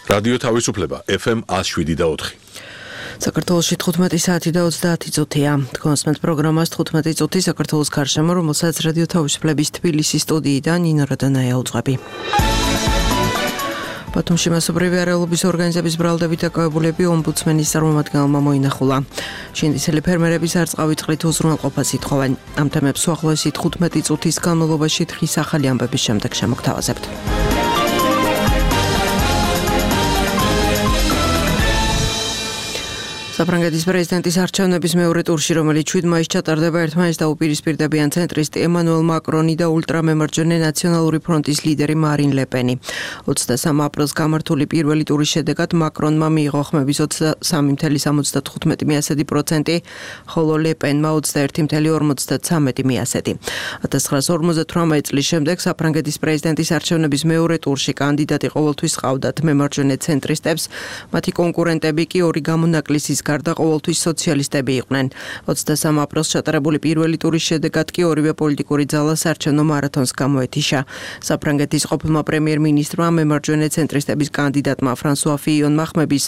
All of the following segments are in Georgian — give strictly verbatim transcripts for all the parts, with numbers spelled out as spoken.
რადიო თავისუფლება ეფ ემ ათს შვიდი და ოთხი. საქართველოში თხუთმეტი საათი და ოცდაათი წუთია. თქვენს პროგრამას თხუთმეტი წუთი საქართველოს გარშემო, რომელსაც რადიო თავისუფლების თბილისის სტუდიიდან ნინო რადანაია უძღვები. ბათუმში მასობრივი არეულობის ორგანიზების ბრალდებით დაკავებულები ომბუდსმენის წარმომადგენელმა მოინახულა. შინდისელი ფერმერების არწყავი წყლით უზრუნველყოფას ითხოვენ. ამ თემებს უახლოესი თხუთმეტი წუთის განმავლობაში დღის ახალი ამბების შემდეგ შემოგთავაზებთ. საფრანგეთის პრეზიდენტის არჩევნების მეორე ტურში, რომელიც შვიდ მაისს ჩატარდება, ერთმანეთს დაუპირისპირდებიან ცენტრისტი ემანუელ მაკრონი და ულტრამემარჯვენე ნაციონალური ფრონტის ლიდერი მარინ ლე პენი. ოცდასამი აპრილს გამართული პირველი ტურის შედეგად მაკრონმა მიიღო ხმების ოცდასამი ფاصლე სამოცდათხუთმეტი პროცენტი, ხოლო ლე პენმა ოცდაერთი ფაصლე ორმოცდაცამეტი პროცენტი. ათას ცხრაასი ორმოცდათვრამეტი წლის შემდეგ საფრანგეთის პრეზიდენტის არჩევნების მეორე ტურში კანდიდატი ყოველთვის ჰყავდათ მემარჯვენე ცენტრისტებს, მათი კონკურენტები კი ორი გამონაკლისის გარდა ყოველთვის სოციალისტები იყვნენ. ოცდასამი აპრილს ჩატარებული პირველი ტურის შედეგად კი ორივე პოლიტიკური ძალა საარჩევნო მარათონს გამოეთიშა. საფრანგეთის ყოფილმა პრემიერ-მინისტრმა მემარჯვენე ცენტრისტების კანდიდატმა ფრანსუა ფიიონმა ხმების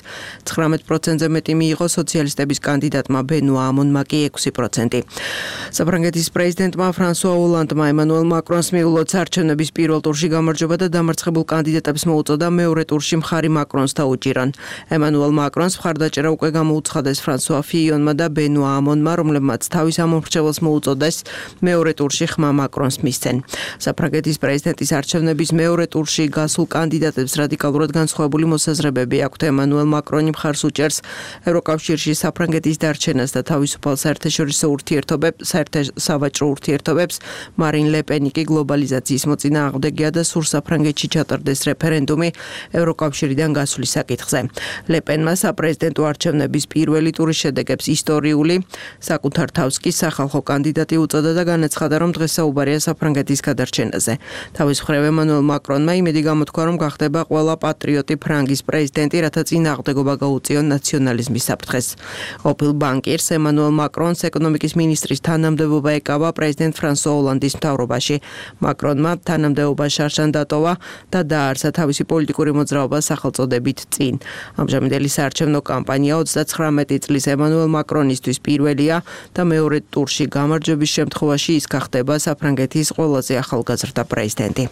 ცხრამეტ პროცენტზე მეტი მიიღო, სოციალისტების კანდიდატმა ბენუა ამონმა კი ექვსი პროცენტი. საფრანგეთის პრეზიდენტმა ფრანსუა ოლანდმა ემანუელ მაკრონს მიულოც არჩევნების პირველ ტურში გამარჯვება და დამარცხებულ კანდიდატებს მოუწოდა მეორე ტურში მხარი მაკრონს დაუჭირონ. ემანუელ მაკრონს მხარდაჭერა უკვე გამოუცხადეს ფრანსუა ფიიონმა და ბენუა ამონმა, რომლებმაც თავის ამომრჩეველს მოუწოდეს მეორე ტურში ხმა მაკრონს მისცენ. საფრანგეთის პრეზიდენტის არჩევნების მეორე ტურში გასულ კანდიდატებს რადიკალურად განსხვავებული მოსაზრებები აქვთ. ემანუელ მაკრონი მხარს უჭერს ევროკავშირში საფრანგეთის დარჩენას და თავისუფალ საერთაშორისო ურთიერთობებს, საერთაშავაჭრო ურთიერთობებს, მარინ ლე პენი კი გლობალიზაციის მოწინააღმდეგეა და სურს საფრანგეთში ჩატარდეს რეფერენდუმი ევროკავშირიდან გასვლის საკითხზე. ლე პენმა საპრეზიდენტო არჩევნების პირველი ტურის შედეგებს ისტორიული, საკუთარ თავს კი სახალხო კანდიდატი უწოდა და განაცხადა, რომ დღეს საუბარია საფრანგეთის გადარჩენაზე. თავის მხრივ ემანუელ მაკრონმა იმედი გამოთქვა, რომ გახდება ყველა პატრიოტი ფრანგის პრეზიდენტი, რათა წინააღმდეგობა გაუწიონ ნაციონალიზმის საფრთხეს. ყოფილ ბანკირს ემანუელ მაკრონს ეკონომიკის მინისტრის თანამდებობა ეკავა პრეზიდენტ ფრანსუა ოლანდის მთავრობაში. მაკრონმა თანამდებობა შარშან დატოვა და დააარსა თავისი პოლიტიკური მოძრაობა სახელწოდებით წინ. ამჟამინდელი საარჩევნო კამპანია ოცდაცხრამეტი წლის ემანუელ მაკრონისთვის პირველია და მეორე ტურში გამარჯვების შემთხვევაში ის გახდება საფრანგეთის ყველაზე ახალგაზრდა პრეზიდენტი.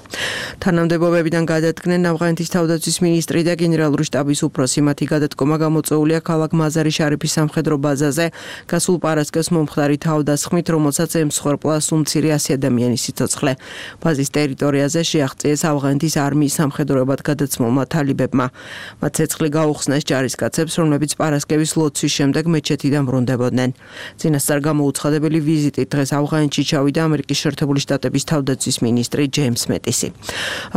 თანამდებობებიდან გადადგნენ ავღანეთის თავდაცვის მინისტრი და გენერალური შტაბის უფროსი. მათი გადადგომა გამოწვეულია ქალაქ მაზარი შარიფის სამხედრო ბაზაზე გასულ პარასკევს მომხდარი თავდასხმით, რომელსაც ემსხვერპლა უმცირე ასი ადამიანის სიცოცხლე. ბაზის ტერიტორიაზე შეაღწიეს ავღანეთის არმიის სამხედროებად გადაცმულმა თალიბებმა. მათ ცეცხლი გაუხსნეს ჯარისკაცებს, რომლებიც პარასკევის ლოცვის შემდეგ მეჩეთიდან ბრუნდებოდნენ. წინასწარ გამოუცხადებელი ვიზიტით დღეს ავღანეთში ჩავიდა ამერიკის შეერთებული შტატების თავდაცვის მინისტრი ჯეიმს მეტისი.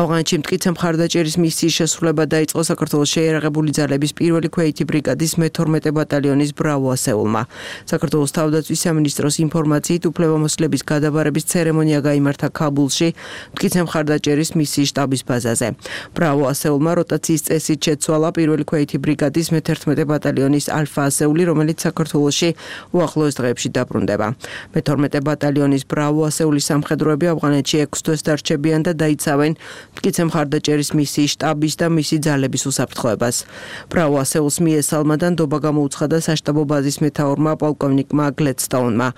ავღანეთში მტკიცე მხარდაჭერის მისიის შესრულება დაიწყო საქართველოს შეიარაღებული ძალების პირველი ქვეითი ბრიგადის მეთორმეტე ბატალიონის ბრავო ასეულმა. საქართველოს თავდაცვის სამინისტროს ინფორმაციით უფლებამოსილების გადაბარების ცერემონია გაიმართა ქაბულში, მტკიცე მხარდაჭერის მისიის შტაბის ბაზაზე. ბრავო ასეულმა როტაციის წესით შეცვალა პირველი ქვეითი ბრიგადის მეთერთმეტე ბატალიონის ალფა ასეული, რომელიც საქართველოში უახლოეს დღეებში დაბრუნდება. მეთორმეტე ბატალიონის ბრავო ასეულის სამხედროები ავღანეთში ექვს თვეს დარჩებიან და დაიცავენ მტკიცე მხარდაჭერის მისიის შტაბის და მისი ძალების უსაფრთხოებას. ბრავო ასეულს მიესალმა და ნდობა გამოუცხადა საშტაბო ბაზის მეთაურმა პოლკოვნიკმა გლედსტოუნმა.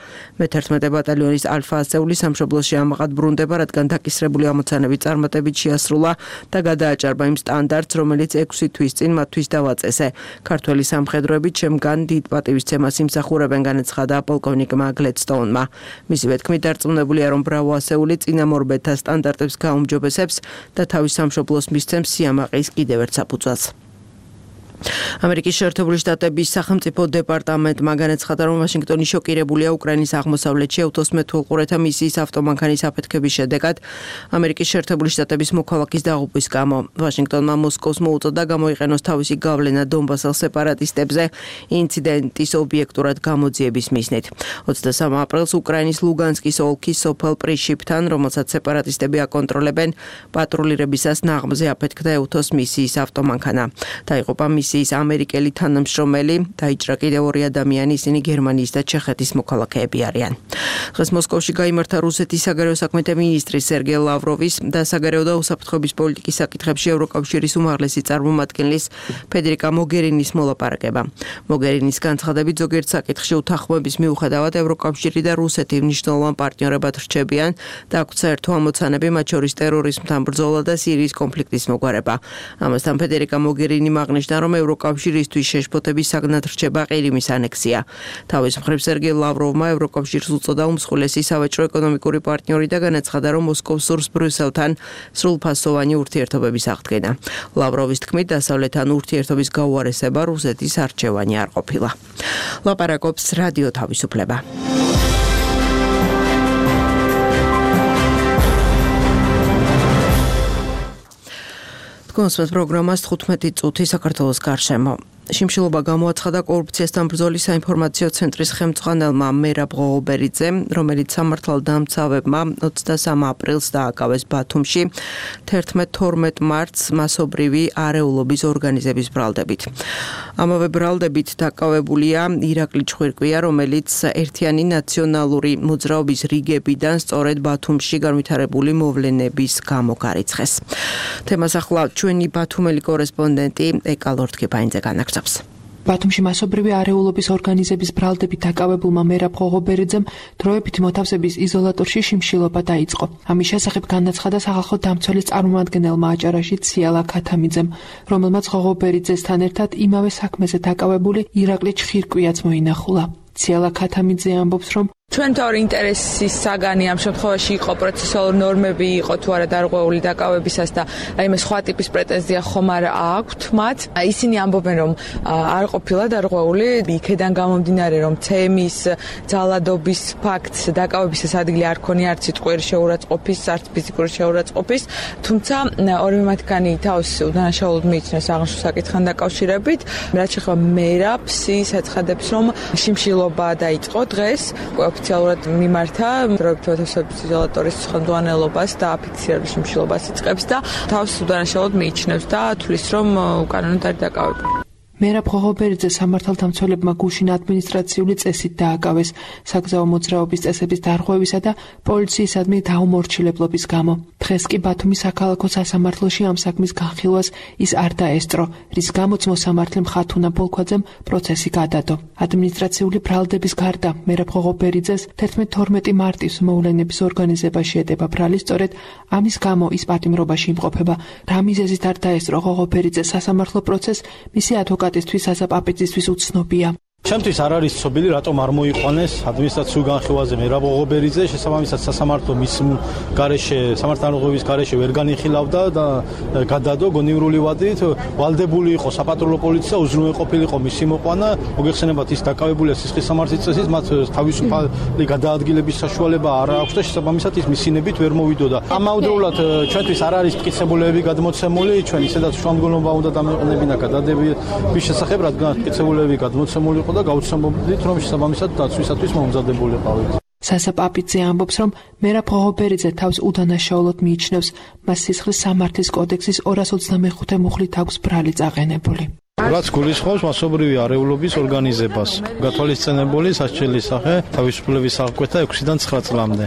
მეთერთმეტე ბატალიონის ალფა ასეული სამშობლოში ამაყად ბრუნდება, რადგან დაკისრებული ამოცანების წარმატებით შეასრულა და გადააჭარბა იმ სტანდარტს, რომელიც ექვსი თვის წინ მათთვის დავაწესე. ქართველი სამხედროები ჩემგან დიდ პატივისცემას იმსახურებენ, განაცხადა პოლკოვნიკმა გლედსტოუნმა. მისივე თქმით, დარწმუნებულია, რომ ბრავო ასეული წინამორბედთა სტანდარტებს გაუმჯობესებს და თავის სამშობლოს მისცემს სიამაყის კიდევ ერთ საფუძველს. ამერიკის შეერთებული შტატების სახელმწიფო დეპარტამენტმა განაცხადა, რომ ვაშინგტონი შოკირებულია უკრაინის აღმოსავლეთში ევთოს-მეთვალყურეთა მისიის ავტომანქანის აფეთქების შედეგად ამერიკის შეერთებული შტატების მოქალაქის დაღუპვის გამო. ვაშინგტონმა მოსკოვს მოუწოდა გამოიყენოს თავისი გავლენა დონბასელ სეპარატისტებზე ინციდენტის ობიექტურად გამოძიების მიზნით. ოცდასამი აპრილს უკრაინის ლუგანსკის ოლქის სოფელ პრიშიპთან, რომელსაც სეპარატისტები აკონტროლებენ, პატრულირებისას ნაღმზე აფეთქდა ევთოს მისიის ავტომანქანა. დაიღუპა მისიის კომისიის ამერიკელი თანამშრომელი, დაიჭრა კიდევ ორი ადამიანი, ისინი გერმანიის და ჩეხეთის მოქალაქეები არიან. დღეს მოსკოვში გაიმართა რუსეთის საგარეო საქმეთა მინისტრის სერგეი ლავროვის და საგარეო და უსაფრთხოების პოლიტიკის საკითხებში ევროკავშირის უმაღლესი წარმომადგენლის ფედერიკა მოგერინის მოლაპარაკება. მოგერინის განცხადებით ზოგიერთ საკითხში უთანხმოების მიუხედავად ევროკავშირი და რუსეთი მნიშვნელოვან პარტნიორებად რჩებიან და აქვთ საერთო ამოცანები, მათ შორის ტერორიზმთან ბრძოლა და სირიის კონფლიქტის მოგვარება. ამასთან ფედერიკა მოგერინი აღნიშნა, რომ ევროკავშირისთვის შეშფოთების საგნად რჩება ყირიმის ანექსია. თავის მხრივ სერგეი ლავროვმა ევროკავშირს უწოდა უმსხვილესი სავაჭრო ეკონომიკური პარტნიორი და განაცხადა, რომ მოსკოვს სურს ბრიუსელთან სრულფასოვანი ურთიერთობების აღდგენა. ლავროვის თქმით, დასავლეთთან ურთიერთობის გაუარესება რუსეთის არჩევანი არ ყოფილა. ლაპარაკობს რადიო თავისუფლება. კონსპект პროგრამას თხუთმეტი წუთი საქართველოს გარშემო. შიმშილობა გამოაცხადა კორუფციასთან ბრძოლის საინფორმაციო ცენტრის ხელმძღვანელმა მერაბ ღოღობერიძემ, რომელიც სამართალდამცავებმა ოცდასამი აპრილს დააკავეს ბათუმში თერთმეტ თორმეტ მარტს მასობრივი არეულობის ორგანიზების ბრალდებით. ამავე ბრალდებით დაკავებულია ირაკლი ჩხვირკვია, რომელიც ერთიანი ნაციონალური მოძრაობის რიგებიდან სწორედ ბათუმში განვითარებული მოვლენების გამო გარიცხეს. თემას ახლა ჩვენი ბათუმელი კორესპონდენტი ეკა ლორთქიფაინძე განაგრძობს. ბათუმში მასობრივი არეულობის ორგანიზების ბრალდებით დაკავებულმა მერაბ ღოღობერიძემ დროებითი მოთავსების იზოლატორში შიმშილობა დაიწყო. ამის შესახებ განაცხადა სახალხო დამცველის წარმომადგენელმა აჭარაში ციალა ქათამიძემ, რომელმაც ღოღობერიძესთან ერთად იმავე საქმეზე დაკავებული ირაკლი ჩხირკვიაც მოინახულა. ციალა ქათამიძე ამბობს, რომ ჩვენთავი ინტერესის საგანი ამ შემთხვევაში იყო პროცესუალური ნორმები იყო თუ არა დარღვეული დაკავებისას და აი მე სხვა ტიპის პრეტენზია ხომ არ აქვთ მათ. ისინი ამბობენ, რომ არ ყოფილა დარღვეული, იქედან გამომდინარე, რომ ცემის ძალადობის ფაქტს დაკავებისას ადგილი არ ქონია არც სიტყვიერი შეურაცხყოფის, არც ფიზიკური შეურაცხყოფის, თუმცა ორივე მათგანი თავს უდანაშაულოდ მიიჩნევს აღნიშნულ საკითხთან დაკავშირებით. რაც შეეხება მერაბს, ის აცხადებს, რომ შიმშილობა დაიწყო დღეს ოფიციალურად მიმართა დროებითი მოთავსების იზოლატორის ხელმძღვანელობას და აფიქსირებული შიმშილობას იწყებს და თავს უდანაშაულოდ მიიჩნევს და თვლის, რომ უკანონოდ არის დაკავებული. მერაბ ღოღობერიძე სამართალდამცველებმა გუშინ ადმინისტრაციული წესით დააკავეს საგზაო მოძრაობის წესების დარღვევისა და პოლიციისადმი დაუმორჩილებლობის გამო. დღეს კი ბათუმის საქალაქო სასამართლოში ამ საქმის განხილვას ის არ დაესწრო, რის გამოც მოსამართლე მხათუნა ბოლქვაძემ პროცესი გადადო. ადმინისტრაციული ბრალდების გარდა მერაბ ღოღობერიძეს თერთმეტ თორმეტი მარტის მოვლენების ორგანიზება შეედება ბრალი, სწორედ ამის გამო ის პატიმრობაში იმყოფება. რა მიზეზით არ დაესწრო ღოღობერიძეს სასამართლო პროცესს, მისი ადვოკატი თვის ასაპაპიძისთვის უცნობია. ჩემთვის არ არის ცნობილი, რატომ არ მოიყვანეს ადმინისტრაციულ განხილვაზე მერაბ ღოღობერიძე, შესაბამისად სასამართლო მის გარეშე, სამართალდამცველობის გარეშე ვერ განიხილავდა და გადადო გონივრული ვადით, ვალდებული იყო საპატრულო პოლიცია, უზრუნველყოფილიყო მისი მოყვანა, მოგეხსენებათ ის დაკავებულია სისხლის სამართლის წესით, მათ თავისუფალი გადაადგილების საშუალება არ აქვს და შესაბამისად ის მისინებით ვერ მოვიდოდა. ამავდროულად ჩვენთვის არ არის მტკიცებულებები გადმოცემული, ჩვენ ისედაც შუამდგომლობა უნდა დამეყნებინა გადადების შესახებ, რადგან მტკიცებულებები გადმოცემული და გაუცნობლივით, რომ შესაბამისად დაცვისათვის მომზადებულიყავით. სასაპაპიძე ამბობს, რომ მერაბ ღოღობერიძე თავს უდანაშაულოდ მიიჩნევს, მას სისხლის სამართლის კოდექსის ორას ოცდამეხუთე მუხლით აქვს ბრალი წაყენებული. რაც გულისხმობს მასობრივი არეულობის ორგანიზებას, გათვალისწინებული სასჯელის სახე თავისუფლების აღკვეთა ექვსიდან ცხრა წლამდე,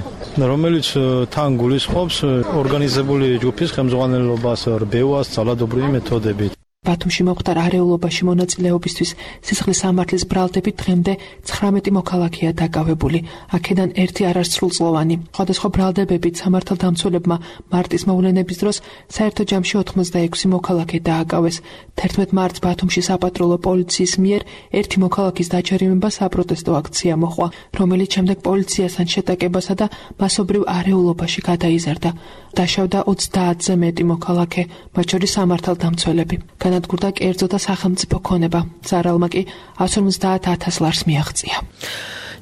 რომელიც თან გულისხმობს ორგანიზებული ჯგუფის ხელმძღვანელობას რბევას ძალადობრივი მეთოდებით. ბათუმში მომხდარ არეულობაში მონაწილეობისთვის სისხლის სამართლის ბრალდებით დღემდე ცხრამეტი მოქალაქეა დაკავებული. აქედან ერთი არასრულწლოვანი. სხვადასხვა ბრალდებებით სამართალდამცველებმა მარტის მოვლენების დროს საერთო ჯამში ოთხმოცდაექვსი მოქალაქე დააკავეს. თერთმეტ მარტს ბათუმში საპატრულო პოლიციის მიერ ერთი მოქალაქის დაჯერიმება საპროტესტო აქცია მოჰყვა, რომელიც შემდეგ პოლიციასთან შეტაკებასა და მასობრივ არეულობაში გადაიზარდა. დაშავდა ოცდაათზე მეტი მოქალაქე, მათ შორის სამართალდამცველები. განადგურდა კერძო და სახელმწიფო ქონება. ზარალმა კი ას ორმოცდაათ ათას ლარს მიაღწია.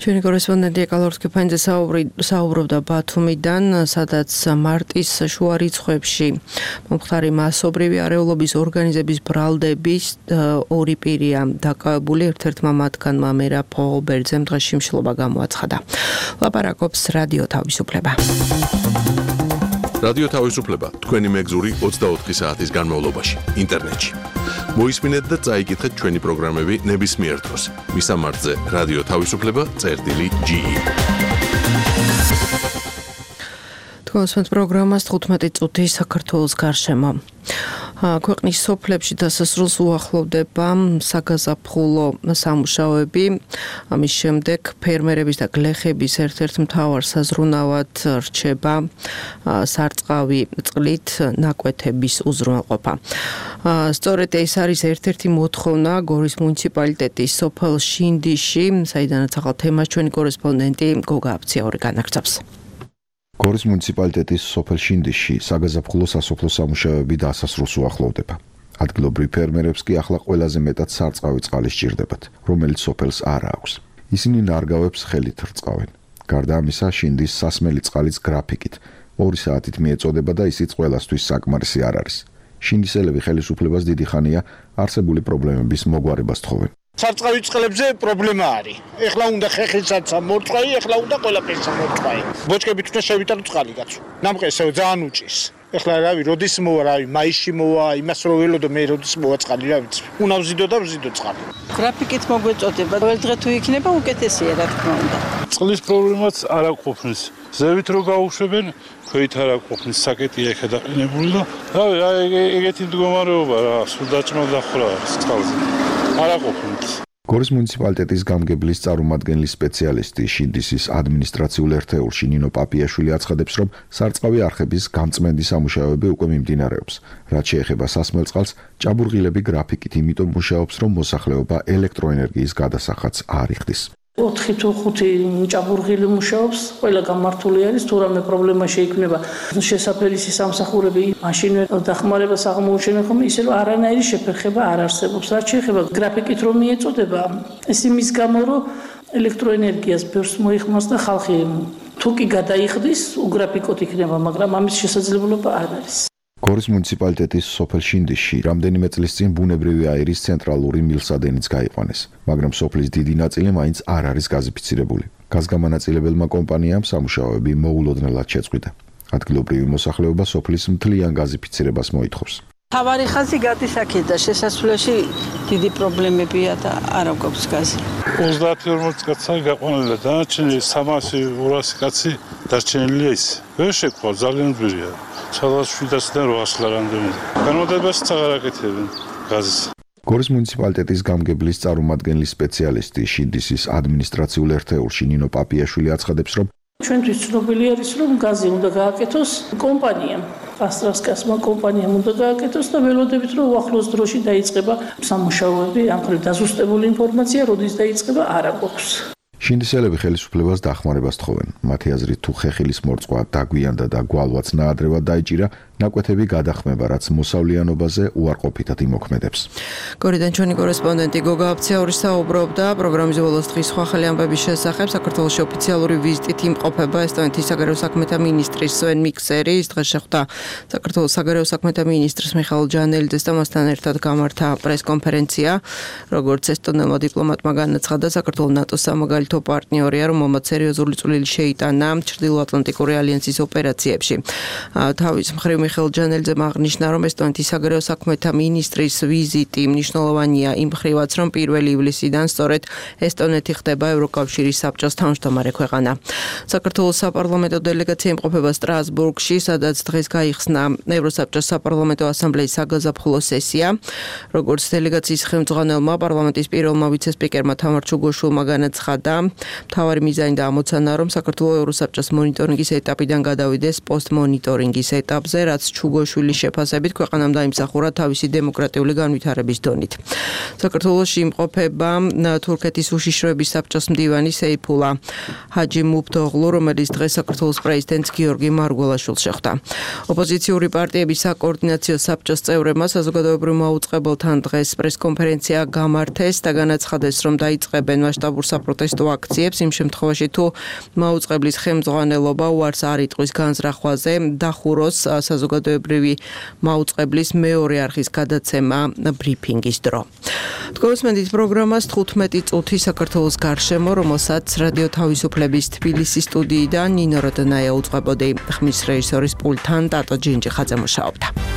ჩვენი კორესპონდენტი ეკა ლორთქიფაინძე საუბრობდა ბათუმიდან, სადაც მარტის შუა რიცხვებში მომხდარი მასობრივი არეულობის ორგანიზების ბრალდების ორი პირია დაკავებული, ერთ-ერთმა მათგანმა მერაბ ღოღობერიძემ დღეს შიმშილობა გამოაცხადა. ლაპარაკობს რადიო თავისუფლება. რადიო თავისუფლება თქვენი მეგზური ოცდაოთხი საათის განმავლობაში ინტერნეტში. მოისმინეთ და წაიკითხეთ ჩვენი პროგრამები ნებისმიერ დროს. მისამართზე რადიო თავისუფლება წერტილი ჯი ი. თქვენს პროგრამას თხუთმეტი წუთი საქართველოს გარშემო. ქვეყნის სოფლებში დასასრულს უახლოვდება საგაზაფხულო სამუშაოები. ამის შემდეგ ფერმერების და გლეხების ერთ-ერთ მთავარ საზრუნავად რჩება სარწყავი წყლით ნაკვეთების უზრუნველყოფა. სწორედ ეს არის ერთ-ერთი მოთხოვნა გორის მუნიციპალიტეტის სოფელ შინდიში, საიდანაც ახალ თემას ჩვენი კორესპონდენტი გოგა აფციაური განაგრძობს. გორის მუნიციპალიტეტის სოფელ შინდიში საგაზაფხულო სასოფლო სამუშაოები დასასრულს უახლოვდება. ადგილობრივ ფერმერებს კი ახლა ყველაზე მეტად სარწყავი წყალი სჭირდებათ, რომელიც სოფელს არ აქვს. ისინი ნარგავებს ხელით რწყავენ. გარდა ამისა, შინდის სასმელი წყალის გრაფიკით ორი საათით მიეწოდება და ისიც ყველასთვის საკმარისი არ არის. შინდისელები ხელისუფლებას დიდი ხანია არსებული პრობლემების მოგვარებას თხოვენ. სარწყავი წყლებზე პრობლემა არის. ეხლა უნდა ხეხილსაც მორწყვა, ეხლა უნდა ყველაფერს მორწყვა. ბოჭკებით უნდა შევიტანო წყალი კაცო. ნამყესო ძალიან უჭის. ეხლა რავი, როდის მოვა, რავი, მაისში მოვა, იმას რო ველოდო მე როდის მოვა წყალი, რა ვიცი. უნდა ვზიდო და ვზიდო წყალი. გრაფიკით მოგვეწოდება. ყოველ დღე თუ იქნება უკეთესია, რა თქმა უნდა. წყლის პრობლემაც არ აკვოფნის. ზევით რო გაუშვებენ, ქვით არ აკვოფნის, საკეტია ეხა დაყენებული და რავი, ეგეთი მდგომარეობა რა, სულ დაჭმა დახრა წყალზე. გორის მუნიციპალიტეტის გამგებლის წარმომადგენლის სპეციალისტი შინდისის ადმინისტრაციულ ერთეულში ნინო პაპიაშვილი აცხადებს, რომ სარწყავი არხების გამწმენდი სამუშაოები უკვე მიმდინარეობს. რაც შეეხება სასმელ წყალს, ჭაბურღილები გრაფიკით იმიტომ მუშაობს, რომ მოსახლეობა ელექტროენერგიის გადასახადს არ იხდის. ოთხი თუ ხუთი ჭაბურღილი მუშაობს, ყველა გამართული არის, თუ რამე პრობლემა შეიქმნება. შესაფერისი სამსახურები მაშინ დახმარებას აღმოუჩენენ ხოლმე, ისე რომ არანაირი შეფერხება არ არსებობს. რაც შეეხება გრაფიკით რომ მიეწოდება, ეს იმის გამო, რომ ელექტროენერგიას ბევრს მოიხმარს და ხალხი თუ კი გადაიხდის, უგრაფიკოთ იქნება, მაგრამ ამის შესაძლებლობა არ არის. გორის მუნიციპალიტეტის სოფელ შინდიში რამდენიმე წლის წინ ბუნებრივი აირის ცენტრალური მილსადენიც გაიყვანეს, მაგრამ სოფლის დიდი ნაწილი მაინც არ არის გაზიფიცირებული. გაზგამანაწილებელმა კომპანიამ სამუშაოები მოულოდნელად შეწყვიტა. ადგილობრივი მოსახლეობა სოფლის მთლიან გაზიფიცირებას მოითხოვს. თავარი ხაზი გადის აქეთ და შესასვლელში დიდი პრობლემებია და არ აქვს გაზი. ოცდაათი ორმოც კაცი გაყვანილი და დანარჩენი სამასი ორასი კაცი დარჩენილია ის. ვერ შეკვა, ძალიან ძვირია. სადაც შვიდასიდან რვასი რამდენია. განმოდებას აღარ აკეთებენ გაზის. გორის მუნიციპალიტეტის გამგებლის წარმომადგენლის სპეციალისტი შინდისის ადმინისტრაციულ ერთეულში ნინო პაპიაშვილი აცხადებს, რომ ჩვენთვის ცნობილი არის, რომ გაზი უნდა გააკეთოს კომპანიამ. ასტრასკასმა კომპანიამ უნდა გააკეთოს და ველოდებით, რომ უახლოს დროში დაიწყება სამუშაოები, ამ მხრივ დაზუსტებული ინფორმაცია, როდის დაიწყება, არ აქვს. შინდისელები ხელისუფლებას დახმარებას თხოვენ. მათი აზრით, თუ ხეხილის მორწყვა დაგვიანდა და გვალვაც ნაადრევად დაიჭირა, ნაკვეთები გადახმება, რაც მოსავლიანობაზე უარყოფითად იმოქმედებს. გორიდან ჩვენი კორესპონდენტი გოგა აფციაური საუბრობდა პროგრამის ბოლოს დღის სხვა ახალი ამბების შესახებ. საქართველოში ოფიციალური ვიზიტით იმყოფება ესტონეთის საგარეო საქმეთა მინისტრის სვენ მიქსერი. ის დღეს შეხვდა საქართველოს საგარეო საქმეთა მინისტრს მიხაილ ჯანელიძეს და მასთან ერთად გამართა პრესკონფერენცია. როგორც ესტონელმა დიპლომატმა განაცხადა, საქართველოს ნატოს სამაგალითო პარტნიორია, რომ მომად სერიოზული წვლილი შეიტანა ჩრდილოატლანტიკური ალიანსის ოპერაციებში. თავის მხრივ მიხაილ ჯანელიძემ აღნიშნა, რომ ესტონეთის საგარეო საქმეთა მინისტრის ვიზიტი მნიშვნელოვანია იმ მხრივაც, რომ პირველი ივლისიდან სწორედ ესტონეთი ხდება ევროკავშირის საბჭოს თავმჯდომარე ქვეყანა. საქართველოს საპარლამენტო დელეგაცია იმყოფება სტრასბურგში, სადაც დღეს გაიხსნა ევროსაბჭოს საპარლამენტო ასამბლეის საგაზაფხულო სესია. როგორც დელეგაციის ხელმძღვანელმა პარლამენტის პირველმა ვიცე-სპიკერმა თამარ ჩუგოშვილმა განაცხადა, მთავარი მიზანი და ამოცანა, რომ საქართველოს ევროსაბჭოს მონიტორინგის ეტაპიდან გადავიდეს პოსტმონიტორინგის ეტაპზე, რაც ჩუგოშვილის შეფასებით ქვეყანამ დაიმსახურა თავისი დემოკრატიული განვითარების დონით. საქართველოში იმყოფება თურქეთის უშიშროების საბჭოს მდივანი სეიფულა ჰაჯიმუფთოღლუ, რომელიც დღეს საქართველოს პრეზიდენტს გიორგი მარგველაშვილს შეხვდა. ოპოზიციური პარტიების საკოორდინაციო საბჭოს წევრებმა საზოგადოებრივ მაუწყებელთან დღეს პრესკონფერენცია გამართეს და განაცხადეს, რომ დაიწყებენ მასშტაბურ საპროტესტო აქციებს იმ შემთხვევაში, თუ მაუწყებლის ხელმძღვანელობა უარს არ იტყვის განზრახვაზე, დახუროს საზოგადოებრივი მაუწყებლის მეორე არხის გადაცემა ბრიფინგის დრო. თქვენს პროგრამას თხუთმეტი წუთი საქართველოს გარშემო, რომელსაც რადიო თავისუფლების თბილისის სტუდიიდან ნინო როდონაია უწყებოდი, ხმის რეჟისორის პულტთან ტატო ჯინჯიხაძე მუშაობდა.